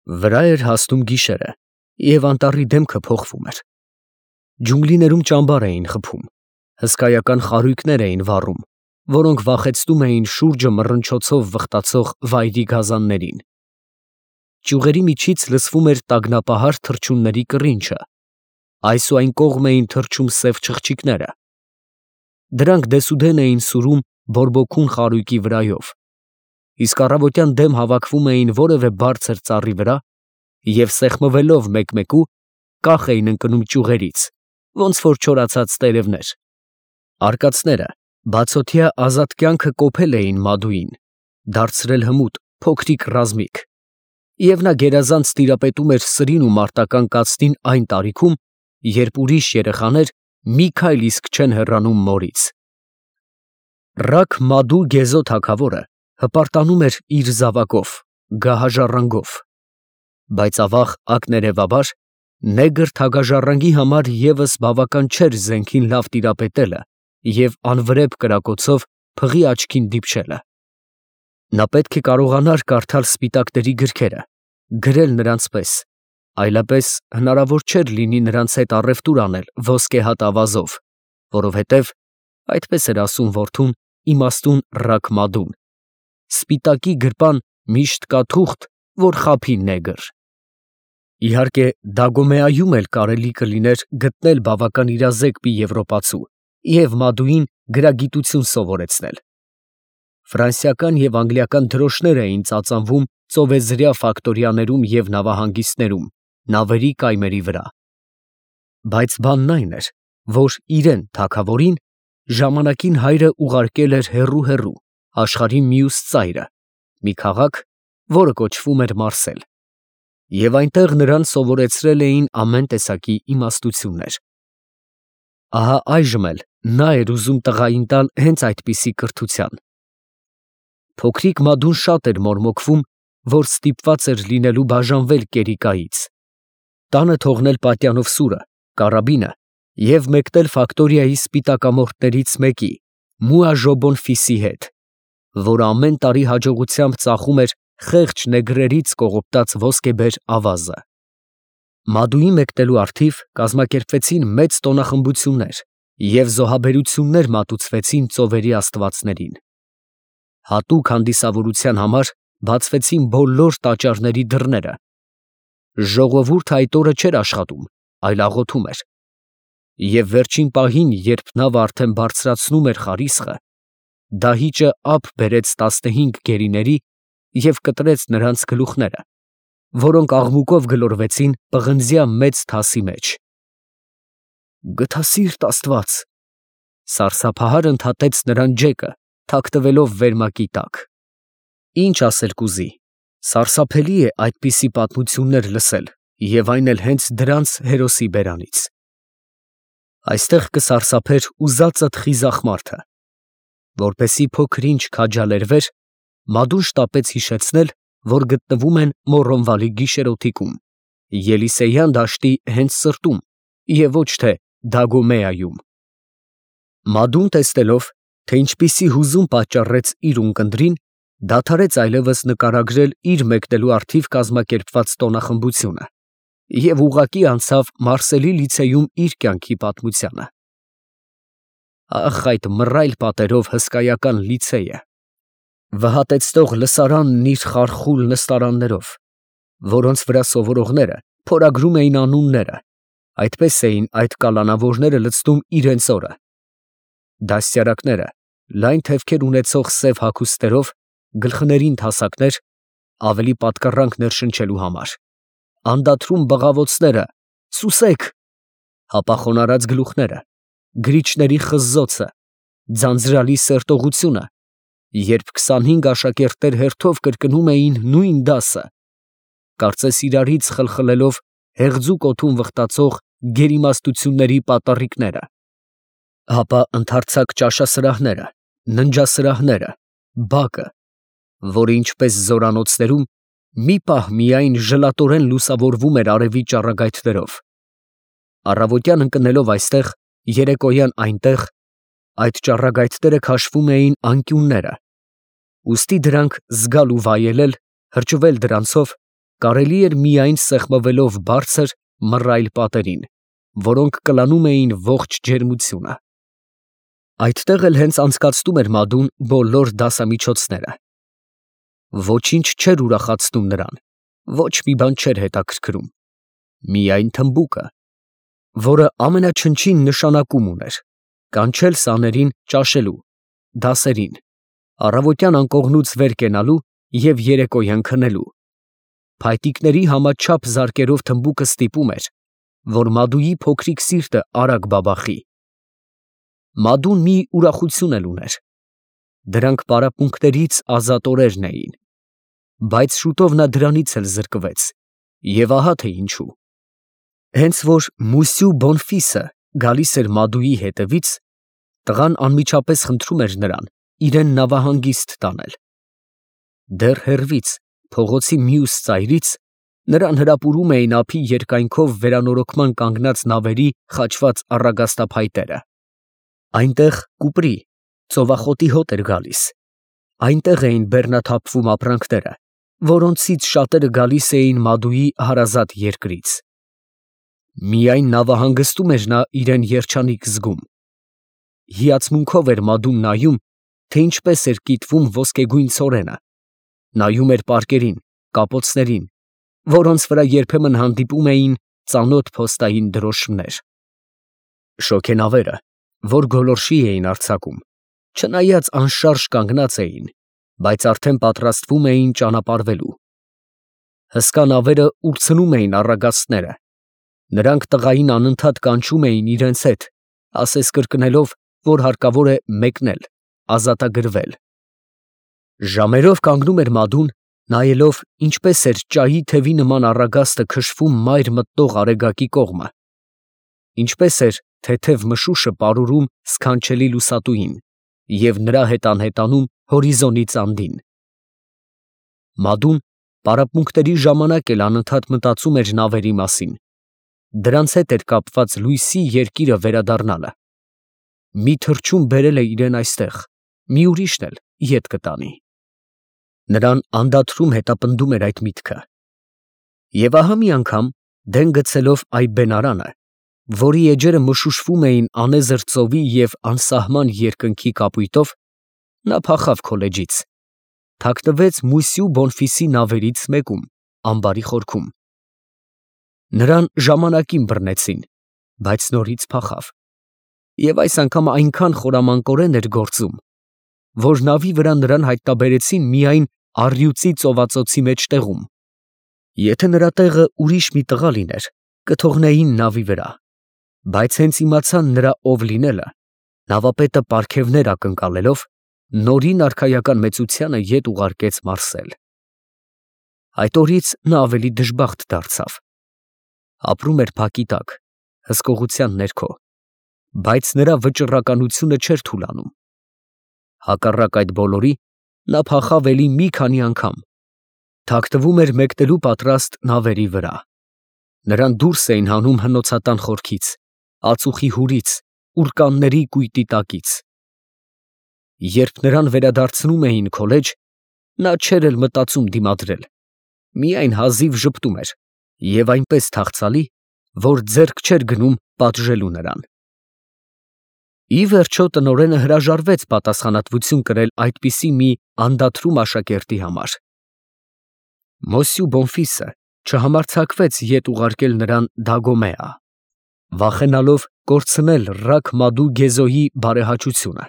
Վրա էր հասնում գիշերը, և անտառի դեմքը փոխվում էր։ Ջունգլիներում ճամբար էին խփում, հսկայական խարույկներ էին վառում, որոնք վախեցնում էին շուրջը մռնչոցով վխտացող վայրի գազաններին։ Ճյուղերի միջից լսվում էր տագնապահար թռչունների կռինչը, այս ու այն կողմ էին թռչում սև չղջիկները։ Դրանք դեսուդեն էին սուրում բորբոքուն խարույկի վրայով, իսկ առավոտյան դեմ հավաքվում էին որևէ բարձր ծառի վրա և սեղմվելով մեկ֊մեկու կախ էին ընկնում ճյուղերից, ոնց որ չորացած տերևներ։ Արկածները բացօթյա ազատ կյանքը կոփել էին Մադուին, դարձրել հմուտ, փոքրիկ ռազմիկ, և նա գերազանց տիրապետում էր սրին ու մարտական կացնին այն տարիքում, երբ ուրիշ երեխաներ մի քայլ իսկ չեն հեռանում մորից։ Ռաք Մադու Գեզո թագավորը հպարտանում էր իր զավակով, գահաժառանգով, բայց ավաղ ակներևաբար նեգր թագաժառանգի համար ևս բավական չէր զենքին լավ տիրապետելը և անվրեպ կրակոցով փղի աչքին դիպչելը։ Նա պետք է կարողանար կարդալ սպիտակների գրքերը, գրել նրանց պես, այլապես հնարավոր չէր լինի նրանց հետ առևտուր անել ոսկեհատ ավազով, որովհետև, այդպես էր ասում որդուն, իմաստուն Ռաք Մադուն, սպիտակի գրպան միշտ կա թուղթ, որ խաբի նեգր։ Իհարկե, Դագոմեայում էլ կարելի կլիներ գտնել բավական իրազեկ մի եվրոպացու և Մադուին գրագիտություն սովորեցնել։ Ֆրանսիական և անգլիական դրոշներ էին ծածանվում ծովեզրյա ֆակտորիաներում և նավահանգիստներում, նավերի կայմերի վրա։ Բայց բանն այն էր, որ իրեն, թագավորին, ժամանակին հայրը ուղարկել էր հեռու աշխարհի մյուս ծայրը, մի քաղաք, որը կոչվում էր Մարսել, և այնտեղ նրան սովորեցրել էին ամեն տեսակի իմաստություններ։ Ահա այժմ էլ նա էր ուզում տղային տալ հենց այդպիսի կրթության։ Փոքրիկ Մադուն շատ էր մորմոքվում, որ ստիպված էր լինելու բաժանվել Կերիկայից, տանը թողնել պատյանով սուրը, կարաբինը և մեկնել ֆակտորիայի սպիտակամորթներից մեկի՝ Մուաժոբոն Ֆիսի հետ, որը ամեն տարի հաջողությամբ ծախում էր խեղճ նեգրերից կողոպտած ոսկեբեր ավազը։ Մադուի մեկնելու առթիվ կազմակերպվեցին մեծ տոնախմբություններ և զոհաբերություններ մատուցվեցին ծովերի աստվածներին։ Հատուկ հանդիսավորության համար բացվեցին բոլոր տաճարների դռները։ Ժողովուրդը այդ օրը չէր աշխատում, այլ աղոթում էր։ Եվ վերջին պահին, երբ նավը արդեն բարձրացնում էր խարիսխը, դահիճը ափ բերեց 15 գերիների և կտրեց նրանց գլուխները, որոնք աղմուկով գլորվեցին պղնձյա մեծ թասի մեջ։ «Գթասիրտ Աստված», սարսափահար ընդհատեց նրան Ջեկը, թաքնվելով վերմակի տակ։ Ինչ ասել կուզի, սարսափելի է այդպիսի պատմություններ լսել և այն էլ հենց դրանց հերոսի բերանից։ Այստեղ կսարսափեր ուզածդ խիզախ մարդը։ Որպեսզի փոքր ինչ քաջալերվեր, Մադուն շտապեց հիշեցնել, որ գտնվում են Մոռոնվալի գիշերօթիկում, Ելիսեյան դաշտի հենց սրտում և ոչ թե Դագոմեայում։ Մադուն տեսնելով, թե ինչպիսի հուզում պատճառեց իր ունկնդրին, դադարեց այլևս նկարագրել իր մեկնելու առթիվ կազմակերպված տոնախմբությունը և ուղղակի անցավ Մարսելի լիցեյում իր կյանքի պատմությանը։ Ախ, այդ մռայլ պատերով հսկայական լիցեյը, վհատեցնող լսարանն իր խարխուլ նստարաններով, որոնց վրա սովորողները փորագրում էին անունները, այդպես էին այդ կալանավորները լցնում իրենց օրը։ Դաստիարակները, լայն թևքեր ունեցող սև հագուստներով, գլխներին թասակներ, ավելի պատկառանք ներշնչելու համար, անդադրում բղավոցները, «Սուսեք», հապախոնարած գլուխները, գրիչների խզզոցը, ձանձրալի սերտողությունը, երբ 25 աշակերտներ հերթով կրկնում էին նույն դասը, կարծես իրարից խլխլելով հեղձուկ օդում վխտացող գերիմաստությունների պատառիկները, ապա ընդարձակ ճաշասրահները, ննջասրահները, բակը, որը ինչպես զորանոցներում, մի պահ միայն ժլատորեն լուսավորվում էր արևի ճառագայթներով։ Առավոտյան ընկնելով այստեղ, երեկոյան այնտեղ, այդ ճառագայթները քաշվում էին անկյունները, ուստի դրանք զգալ ու վայելել, հրճվել դրանցով, կարելի էր միայն սեղմվելով բարձր մռայլ պատերին, որոնք կլանում էին ողջ ջերմությունը։ Այդտեղ էլ հենց անցկացնում էր Մադուն բոլոր դասամիջոցները։ Ոչինչ չէր ուրախացնում նրան, ոչ մի բան չէր հետաքրքրում, միայն թմբուկը, որը ամենաչնչին նշանակում ուներ՝ կանչել սաներին ճաշելու, դասերին, առավոտյան անկողնուց վեր կենալու և երեկոյան քնելու։ Փայտիկների համաչափ զարկերով թմբուկը ստիպում էր, որ Մադուի փոքրիկ սիրտը արագ բաբախի։ Մադուն մի ուրախություն էլ ուներ. դրանք պարապմունքներից ազատ օրերն էին, բայց շուտով նա դրանից էլ զրկվեց, և ահա թե ինչու։ Հենց որ Մուսյու Բոնֆիսը գալիս էր Մադուի հետևից, տղան անմիջապես խնդրում էր նրան իրեն նավահանգիստ տանել։ Դեռ հեռվից, փողոցի մյուս ծայրից, նրան հրապուրում էին ափի երկայնքով վերանորոգման կանգնած նավերի խաչված առագաստափայտերը։ Այնտեղ կուպրի, ծովախոտի հոտ էր գալիս, այնտեղ էին բեռնաթափվում ապրանքները, որոնցից շատերը գալիս էին Մադուի հարազատ երկրից։ Միայն նավահանգստում էր նա իրեն երջանիկ զգում։ Հիացմունքով էր Մադուն նայում, թե ինչպես էր կիտվում ոսկեգույն ցորենը, նայում էր պարկերին, կապոցներին, որոնց վրա երբեմն հանդիպում էին ծանոթ փոստային դրոշմներ։ Շոգենավերը, որ գոլորշի էին արձակում, չնայած անշարժ կանգնած էին, բայց արդեն պատրաստվում էին ճանապարհվելու։ Հսկա նավերը ուրցնում էին առագաստները, նրանք տղային անընդհատ կանչում էին իրենց հետ, ասես կրկնելով, որ հարկավոր է մեկնել, ազատագրվել։ Ժամերով կանգնում էր Մադուն, նայելով, ինչպես էր ճայի թևի նման առագաստը քշվում մայր մտնող արեգակի կողմը, ինչպես էր թեթև մշուշը պարուրում սքանչելի լուսատուին և նրա հետ անհետանում հորիզոնից անդին։ Մադուն պարապմունքների ժամանակ էլ անընդհատ մտածում էր նավերի մասին, դրանց հետ էր կապված լույսի երկիրը վերադառնալը։ Մի թռչուն բերել է իրեն այստեղ, մի ուրիշն էլ ետ կտանի։ Նրան անդադրում հետապնդում էր այդ միտքը։ Եվ ահա մի անգամ, դեն գցելով այ բենարանը, որի էջերը մշուշվում էին անեզր ծովի և անսահման երկնքի կապույտով, նա փախավ քոլեջից, թաքնվեց Մուսյու Բոնֆիսի նավերից մեկում, ամբարի խորքում։ Նրան ժամանակին բռնեցին, բայց նորից փախավ, և այս անգամ այնքան խորամանկորեն էր գործում, որ նավի վրա նրան հայտնաբերեցին միայն առյուծի ծովածոցի մեջտեղում։ Եթե նրա տեղը ուրիշ մի տղա լիներ, կթողնեին նավի վրա, բայց հենց իմացան նրա ով լինելը, նավապետը պարգևներ ակնկալելով, նորին արքայական մեծությանը ետ ուղարկեց մարսել։ Այդ օրից նա ավելի դժբախտ դարձավ։ Ապրում էր փակի տակ, հսկողության ներքո, բայց նրա վճռականությունը չէր թուլանում։ Հակառակ այդ բոլորի, նա փախավ էլի մի քանի անգամ, թաքնվում էր մեկնելու պատրաստ նավերի վրա։ Նրան դուրս էին հանում հնոցատան խորքից, ածուխի հուրից, ուռկանների կույտի տակից։ Երբ նրան վերադարձնում էին քոլեջ, նա չէր էլ մտածում դիմադրել, միայն հազիվ ժպտում էր և այնպես թախծալի, որ ձեռք չէր գնում պատժելու նրան։ Ի վերջո տնօրենը հրաժարվեց պատասխանատվություն կրել այդպիսի մի անդադրում աշակերտի համար։ Մոսյու Բոնֆիսը չհամարձակվեց ետ ուղարկել նրան Դագոմեա, վախենալով կորցնել Ռաք Մադու Գեզոյի բարեհաճությունը,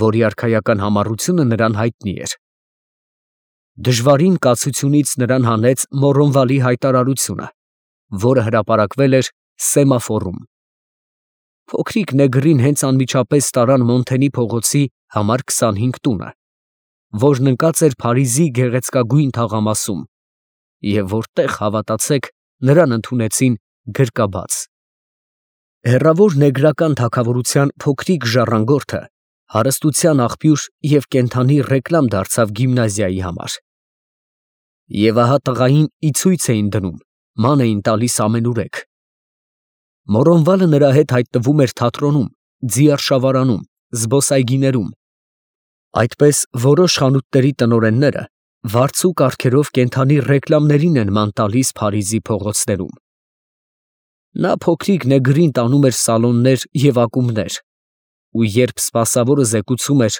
որի արքայական համառությունը նրան հայտնի էր։ Դժվարին կացությունից նրան հանեց Մորոնվալի հայտարարությունը, որը հրապարակվել էր Սեմաֆորում։ Փոքրիկ նեգրին հենց անմիջապես տարան Մոնթենի փողոցի համար 25 տունը, որն ընկած էր Փարիզի գեղեցկագույն թաղամասում, և որտեղ, հավատացեք, նրան ընդունեցին գրկաբաց։ Հեռավոր նեգրական թագավորության փոքրիկ ժառանգորդը հարստության աղբյուր և կենդանի ռեկլամ դարձավ գիմնազիայի համար։ Եվ ահա տղային ի ցույց էին դնում, ման էին տալիս ամենուրեք։ Մորոնվալը նրա հետ հայտնվում էր թատրոնում, ձիարշավարանում, զբոսայգիներում։ Այդպես որոշ խանութների տնօրենները Վարձու կարգերով կենդանի ռեկլամներին են ման տալիս Փարիզի փողոցներում։ Նա փոքրիկ նեգրին տանում էր սալոններ և ակումբներ, ու երբ սպասավորը զեկուցում էր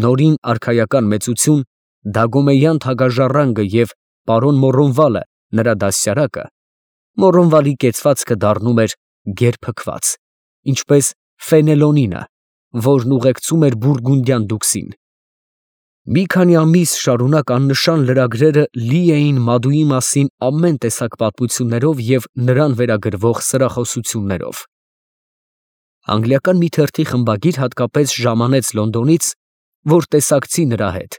նորին արքայական մեծություն, Դագոմեյան թագաժառանգը և պարոն Մոռոնվալը նրա դաստիարակը, Մոռոնվալի կեցվածքը դառնում էր գերփքված, ինչպես Ֆենելոնինը, որն ուղեկցում էր բուրգունդյան դուքսին։ Մի քանի ամիս շարունակ աննշան լրագրերը լի էին Մադուի մասին ամեն տեսակ պատմություններով և նրան վերագրվող սրախոսություններով։ Անգլիական մի թերթի խմբագիր հատկապես ժամանեց Լոնդոնից, որ տեսակցի նրա հետ,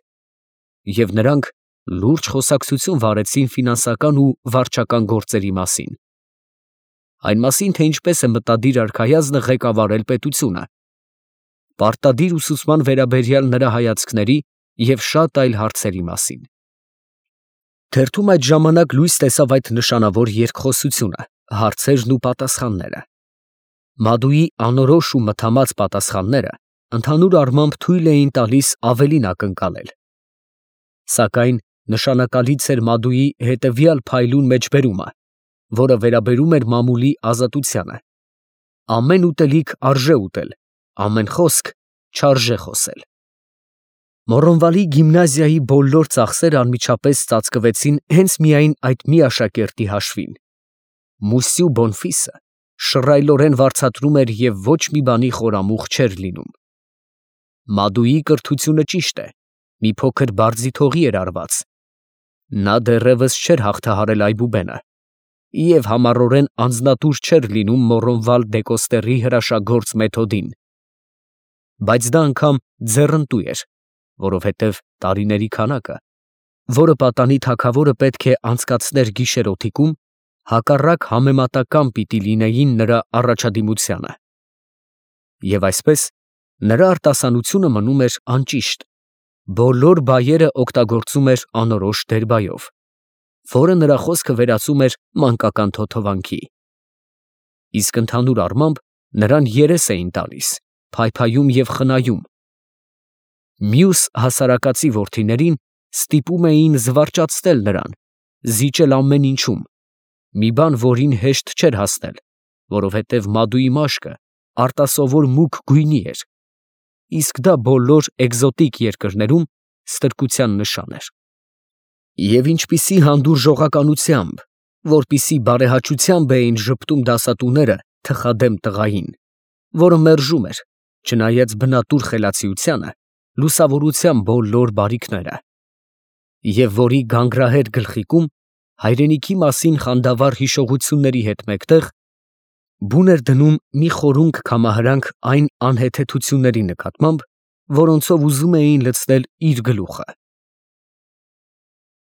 և նրանք լուրջ խոսակցություն վարեցին ֆինանսական ու վարչական գործերի մասին, այն մասին, թե ինչպես է մտադիր արքայազնը ղեկավարել պետությունը, պարտադիր ուսուցման վերաբերյալ նրա հայացքների և շատ այլ հարցերի մասին։ Թերթում այդ ժամանակ լույս տեսավ այդ նշանավոր երկխոսությունը, հարցերն ու պատասխանները։ Մադուի անորոշ ու մթամած պատասխանները ընդհանուր առմամբ թույլ էին տալիս ավելին ակնկալել։ Սակայն նշանակալից էր Մադուի հետևյալ փայլուն մեջբերումը, որը վերաբերում էր մամուլի ազատությանը. ամեն ուտելիք արժե ուտել, ամեն խոսք չարժե խոսել։ Մոռոնվալի գիմնազիայի բոլոր ծախսերը անմիջապես ծածկվեցին հենց միայն այդ մի աշակերտի հաշվին։ Մուսյու Բոնֆիսը շռայլորեն վարձատրում էր և ոչ մի բանի խորամուխ չէր լինում։ Մադուի կրթությունը ճիշտ է, մի փոքր բարձիթողի էր արված։ Նա դեռևս չէր հաղթահարել այբուբենը և համառորեն անձնատուր չէր լինում Մոռոնվալ Դեկոստերի հրաշագործ մեթոդին, բայց դա անգամ ձեռնտու էր, որովհետև տարիների քանակը, որը պատանի թագավորը պետք է անցկացներ գիշերօթիկում, հակառակ համեմատական պիտի լինեին նրա առաջադիմությանը։ Եվ այսպես, նրա արտասանությունը մնում էր անճիշտ, բոլոր բայերը օգտագործում էր անորոշ դերբայով, որը նրա խոսքը վերածում էր մանկական թոթովանքի։ Իսկ ընդհանուր առմամբ նրան երես էին տալիս, փայփայում և խնայում։ Մյուս հասարակածի որդիներին ստիպում էին զվարճացնել նրան, զիջել ամեն ինչում, մի բան, որին հեշտ չէր հասնել, որովհետև Մադուի մաշկը արտասովոր մուգ գույնի էր, իսկ դա բոլոր էկզոտիկ երկրներում ստրկության նշան էր։ Եվ ինչպիսի հանդուրժողականությամբ, որպիսի բարեհաճությամբ էին ժպտում դասատուները թխադեմ տղային, որը մերժում էր, չնայած բնատուր խելացիությանը, լուսավորության բոլոր բարիքները, և որի գանգրահեր գլխիկում հայրենիքի մասին խանդավառ հիշողությունների հետ մեկտեղ բուն էր դնում մի խորունկ կամահրանք այն անհեթեթությունների նկատմամբ, որոնցով ուզում էին լցնել իր գլուխը։